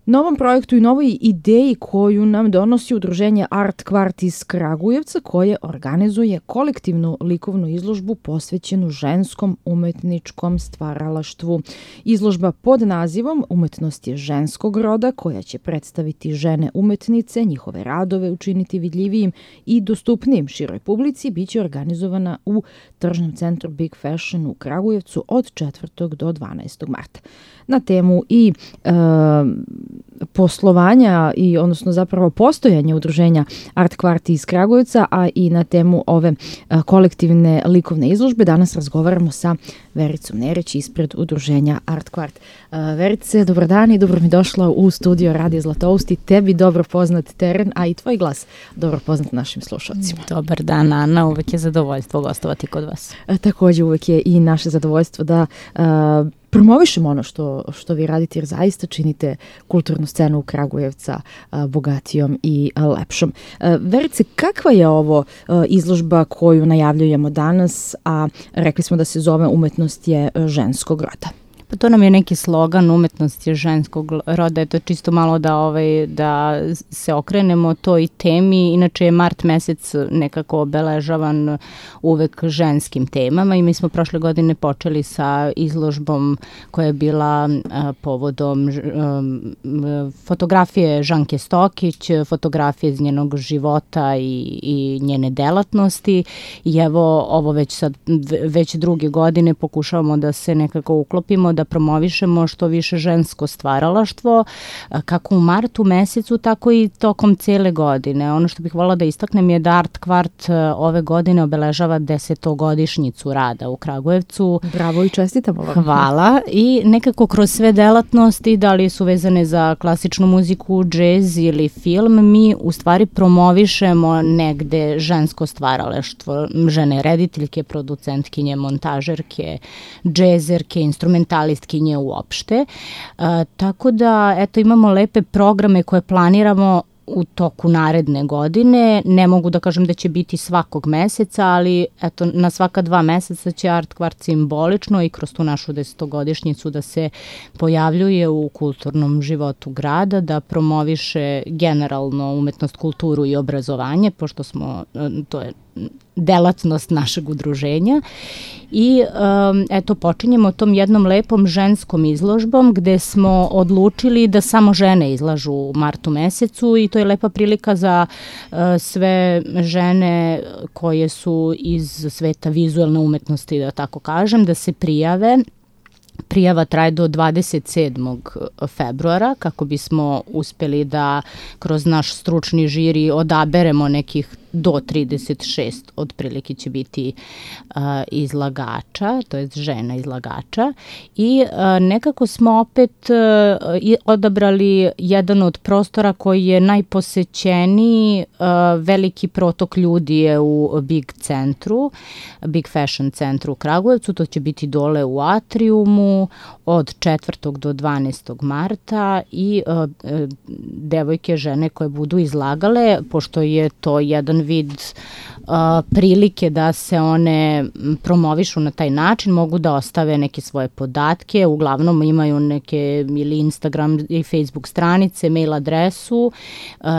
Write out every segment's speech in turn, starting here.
novom projektu i novoj ideji koju nam donosi udruženje Art Kvart iz Kragujevca, koje organizuje kolektivnu likovnu izložbu posvećenu ženskom umetničkom stvaralaštvu. Izložba pod nazivom Umetnost je ženskog roda, koja će predstaviti žene umetnice, njihove radove učiniti vidljivijim i dostupnijim široj publici, biće organizovana u tržnom centru Big Fashion u Kragujevcu od 4. do 12. marta. Na temu i poslovanja i odnosno zapravo postojanja udruženja Art Kvart iz Kragujevca, a i na temu ove kolektivne likovne izložbe danas razgovaramo sa Vericom Nerić ispred udruženja Art Kvart. Verice, dobar dan i dobro mi došla u studio Radio Zlatousti. Tebi dobro poznat teren, a i tvoj glas dobro poznat našim slušalcima. Dobar dan, Ana. Uvek je zadovoljstvo gostovati kod vas. Takođe uvek je i naše zadovoljstvo da promovišemo ono što vi radite, jer zaista činite kulturnu scenu Kragujevca bogatijom i lepšom. Verice, kakva je ovo izložba koju najavljujemo danas, a rekli smo da se zove Umetnost je ženskog roda? Pa to nam je neki slogan, umetnost je ženskog roda, je to čisto malo da se okrenemo toj temi. Inače je mart mesec nekako obeležavan uvek ženskim temama i mi smo prošle godine počeli sa izložbom koja je bila povodom fotografije Žanke Stokić, fotografije iz njenog života i njene delatnosti i evo ovo već druge godine pokušavamo da se nekako uklopimo, da promovišemo što više žensko stvaralaštvo, kako u martu mesecu, tako i tokom cele godine. Ono što bih voljela da istaknem je da Art Kvart ove godine obeležava 10-godišnjicu rada u Kragujevcu. Bravo i čestitamo vam. Hvala. I nekako kroz sve delatnosti, da li su vezane za klasičnu muziku, džez ili film, mi u stvari promovišemo negde žensko stvaralaštvo. Žene rediteljke, producentkinje, montažerke, džezerke, instrumentalistkinje uopšte. Tako da, eto, imamo lepe programe koje planiramo u toku naredne godine. Ne mogu da kažem da će biti svakog meseca, ali eto, na svaka 2 meseca će Art Kvart simbolično i kroz tu našu 10-godišnjicu da se pojavljuje u kulturnom životu grada, da promoviše generalno umetnost, kulturu i obrazovanje, pošto to je delatnost našeg udruženja. I eto, počinjemo tom jednom lepom ženskom izložbom gde smo odlučili da samo žene izlažu u martu mesecu i to je lepa prilika za sve žene koje su iz sveta vizuelne umetnosti, da tako kažem, da se prijave. Prijava traje do 27. februara kako bismo uspeli da kroz naš stručni žiri odaberemo nekih do 36 otprilike će biti izlagača, to je žena izlagača i nekako smo opet odabrali jedan od prostora koji je najposećeniji, veliki protok ljudi je u Big centru, Big Fashion centru u Kragujevcu, to će biti dole u atriumu od 4. do 12. marta i devojke, žene koje budu izlagale, pošto je to jedan vid prilike da se one promovišu na taj način, mogu da ostave neke svoje podatke, uglavnom imaju neke ili Instagram i Facebook stranice, mail adresu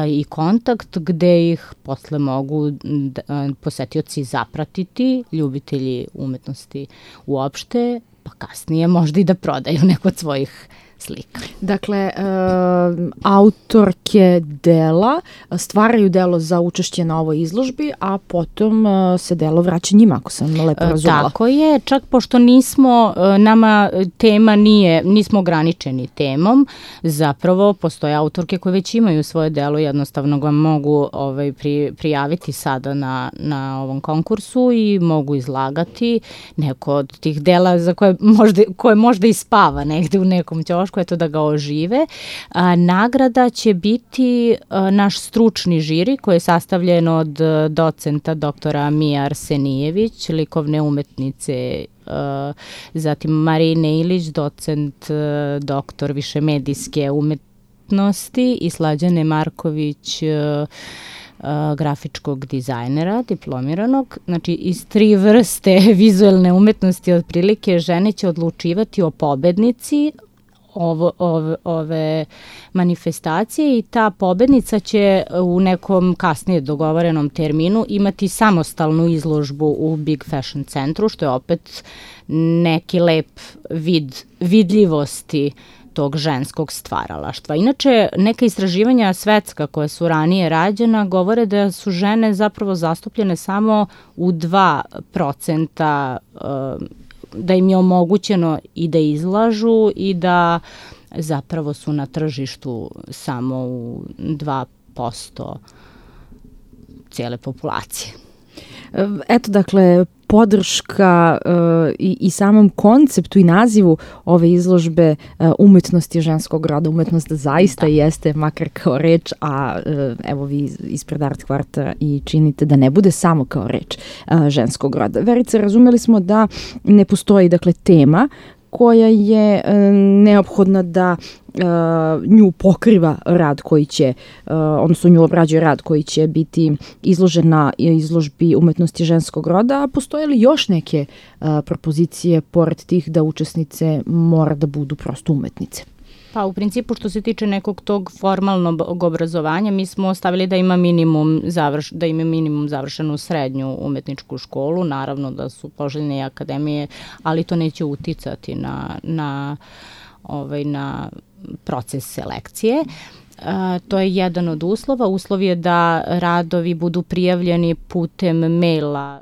i kontakt gde ih posle mogu posetioci zapratiti, ljubitelji umetnosti uopšte, pa kasnije možda i da prodaju neko od svojih slika. Dakle, autorke dela stvaraju delo za učešće na ovoj izložbi, a potom se delo vraća njima, ako sam lepo razumela. Tako je, čak pošto nama tema nismo ograničeni temom, zapravo postoje autorke koje već imaju svoje delo, jednostavno ga mogu prijaviti sada na ovom konkursu i mogu izlagati neko od tih dela za koje možda i spava negde u nekom ćošku, eto da ga ožive. Nagrada će biti naš stručni žiri koji je sastavljen od docenta doktora Mije Arsenijević, likovne umetnice, zatim Marine Ilić, docent doktor višemedijske umetnosti i Slađane Marković, grafičkog dizajnera, diplomiranog. Znači, iz 3 vrste vizuelne umetnosti otprilike žene će odlučivati o pobednici, ove manifestacije i ta pobednica će u nekom kasnije dogovorenom terminu imati samostalnu izložbu u Big Fashion centru, što je opet neki lep vid vidljivosti tog ženskog stvaralaštva. Inače, neka istraživanja svetska koja su ranije rađena govore da su žene zapravo zastupljene samo u 2%, da im je omogućeno i da izlažu i da zapravo su na tržištu samo u 2% cijele populacije. Eto, dakle, podrška i samom konceptu i nazivu ove izložbe umetnosti ženskog roda. Umetnost zaista jeste, makar kao reč, a evo vi ispred Art Kvarta i činite da ne bude samo kao reč ženskog roda. Verice, razumeli smo da ne postoji, dakle, tema koja je neophodna da nju pokriva rad koji će, odnosno nju obrađuje rad koji će biti izložen na izložbi umetnosti ženskog roda, a postoje li još neke propozicije pored tih da učesnice mora da budu prosto umetnice? Pa u principu što se tiče nekog tog formalnog obrazovanja, mi smo stavili da ima minimum završenu srednju umetničku školu, naravno da su poželjne i akademije, ali to neće uticati na proces selekcije. To je jedan od uslova. Uslov je da radovi budu prijavljeni putem maila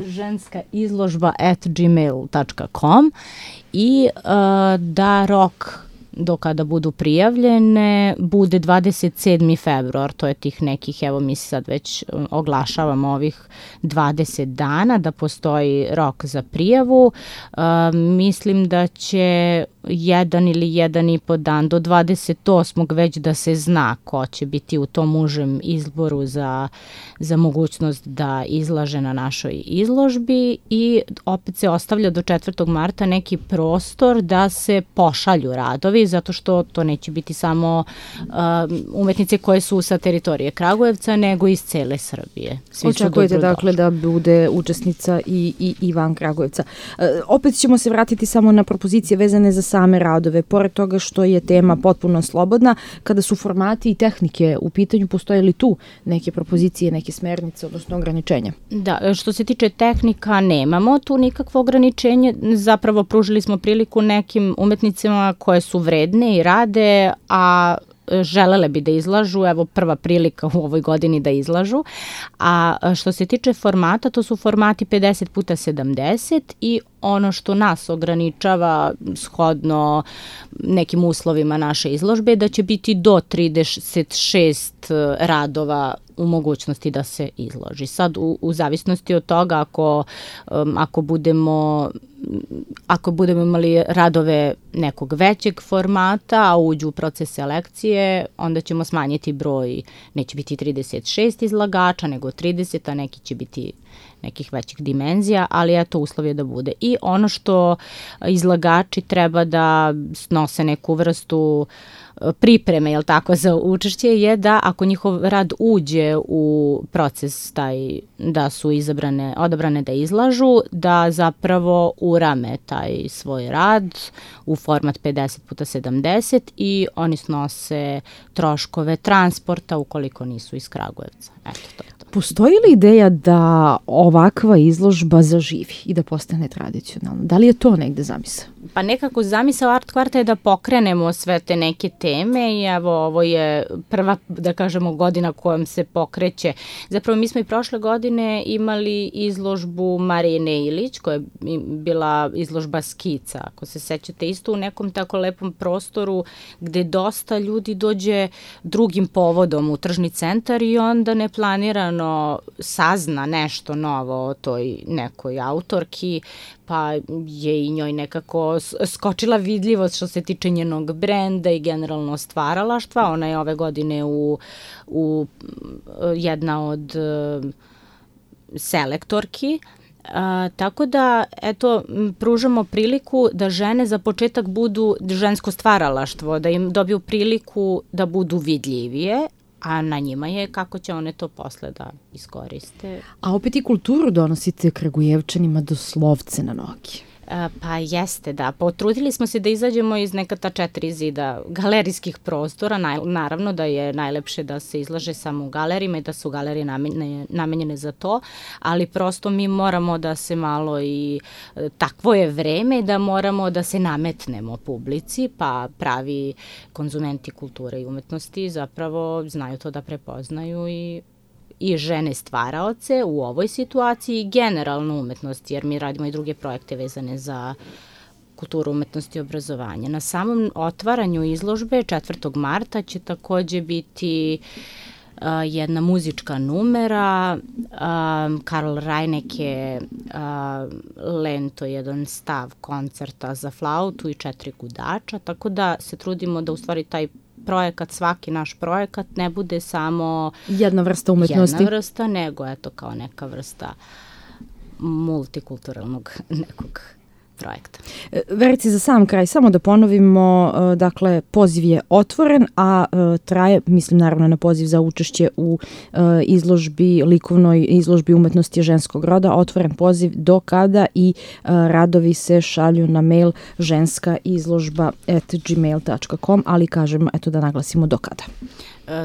ženskaizložba@gmail.com i da rok do kada budu prijavljene bude 27. februar, to je tih nekih, evo mi sad već oglašavamo ovih 20 dana da postoji rok za prijavu. Mislim da će 1 ili 1,5 dan do 28. već da se zna ko će biti u tom užem izboru za mogućnost da izlaže na našoj izložbi i opet se ostavlja do 4. marta neki prostor da se pošalju radovi, zato što to neće biti samo umetnice koje su sa teritorije Kragujevca, nego iz cele Srbije. Očekujete dakle da bude učesnica i van Kragujevca. Opet ćemo se vratiti samo na propozicije vezane za same radove. Pored toga što je tema potpuno slobodna, kada su formati i tehnike u pitanju, postoje li tu neke propozicije, neke smernice, odnosno ograničenja? Da, što se tiče tehnika, nemamo tu nikakvo ograničenje. Zapravo pružili smo priliku nekim umetnicima koje su vredne i rade, a želele bi da izlažu, evo prva prilika u ovoj godini da izlažu, a što se tiče formata, to su formati 50x70 i ono što nas ograničava shodno nekim uslovima naše izložbe je da će biti do 36 radova u mogućnosti da se izloži. Sad u zavisnosti od toga ako budemo imali radove nekog većeg formata, a uđu u proces selekcije, onda ćemo smanjiti broj, neće biti 36 izlagača, nego 30, a neki će biti nekih većih dimenzija, ali eto uslov je da bude. I ono što izlagači treba da snose neku vrstu pripreme, jel tako, za učešće je da ako njihov rad uđe u proces taj da su odabrane da izlažu, da zapravo urame taj svoj rad u format 50x70 i oni snose troškove transporta ukoliko nisu iz Kragujevca. Eto to. Postoji li ideja da ovakva izložba zaživi i da postane tradicionalna? Da li je to negde zamisao? Pa nekako zamisao Art Kvarta je da pokrenemo sve te neke teme i evo ovo je prva, da kažemo, godina kojom se pokreće. Zapravo mi smo i prošle godine imali izložbu Marine Ilić, koja je bila izložba skica, ako se sećate, isto u nekom tako lepom prostoru gde dosta ljudi dođe drugim povodom u tržni centar i onda neplanirano sazna nešto novo o toj nekoj autorki, pa je i njoj nekako skočila vidljivost što se tiče njenog brenda i generalno stvaralaštva. Ona je ove godine u jedna od selektorki. Tako da, eto, pružamo priliku da žene za početak budu žensko stvaralaštvo, da im dobiju priliku da budu vidljivije, a na njima je kako će one to posle da iskoriste. A opet i kulturu donosite Kragujevčanima doslovce na noge. Pa jeste, da. Potrudili smo se da izađemo iz neka ta 4 zida galerijskih prostora. Naravno da je najlepše da se izlaže samo u galerijima i da su galerije namenjene za to, ali prosto mi moramo da se malo i takvo je vreme da moramo da se nametnemo publici, pa pravi konzumenti kulture i umetnosti zapravo znaju to da prepoznaju i žene stvaraoce u ovoj situaciji i generalno umetnost, jer mi radimo i druge projekte vezane za kulturu, umetnosti i obrazovanje. Na samom otvaranju izložbe 4. marta će takođe biti jedna muzička numera. Karl Reinecke lento, jedan stav koncerta za flautu i 4 gudača, tako da se trudimo da u stvari taj projekat, svaki naš projekat ne bude samo jedna vrsta umetnosti. Jedna vrsta, nego eto kao neka vrsta multikulturalnog nekog projekta. Verice, za sam kraj, samo da ponovimo, dakle, poziv je otvoren, a traje, mislim naravno na poziv za učešće u izložbi, likovnoj izložbi umetnosti ženskog roda, otvoren poziv do kada i radovi se šalju na mail ženskaizložba@gmail.com, ali kažem, eto da naglasimo do kada.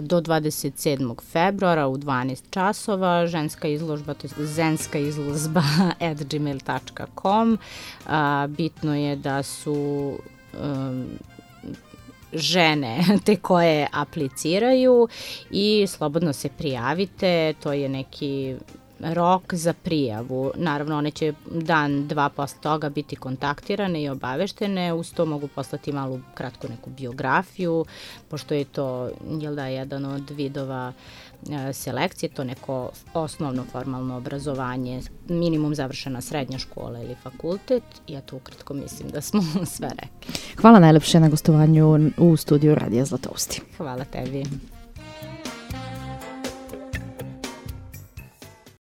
Do 27. februara u 12 časova, ženska izložba, to je zenskaizložba@gmail.com. Bitno je da su žene te koje apliciraju i slobodno se prijavite, to je neki rok za prijavu. Naravno, one će dan, 2 posle toga biti kontaktirane i obaveštene, uz to mogu poslati malu kratku neku biografiju, pošto je to, jedan od vidova selekcije, to neko osnovno formalno obrazovanje, minimum završena srednja škola ili fakultet, i ja to ukratko mislim da smo sve rekli. Hvala najlepše na gostovanju u studiju Radija Zlatousti. Hvala tebi.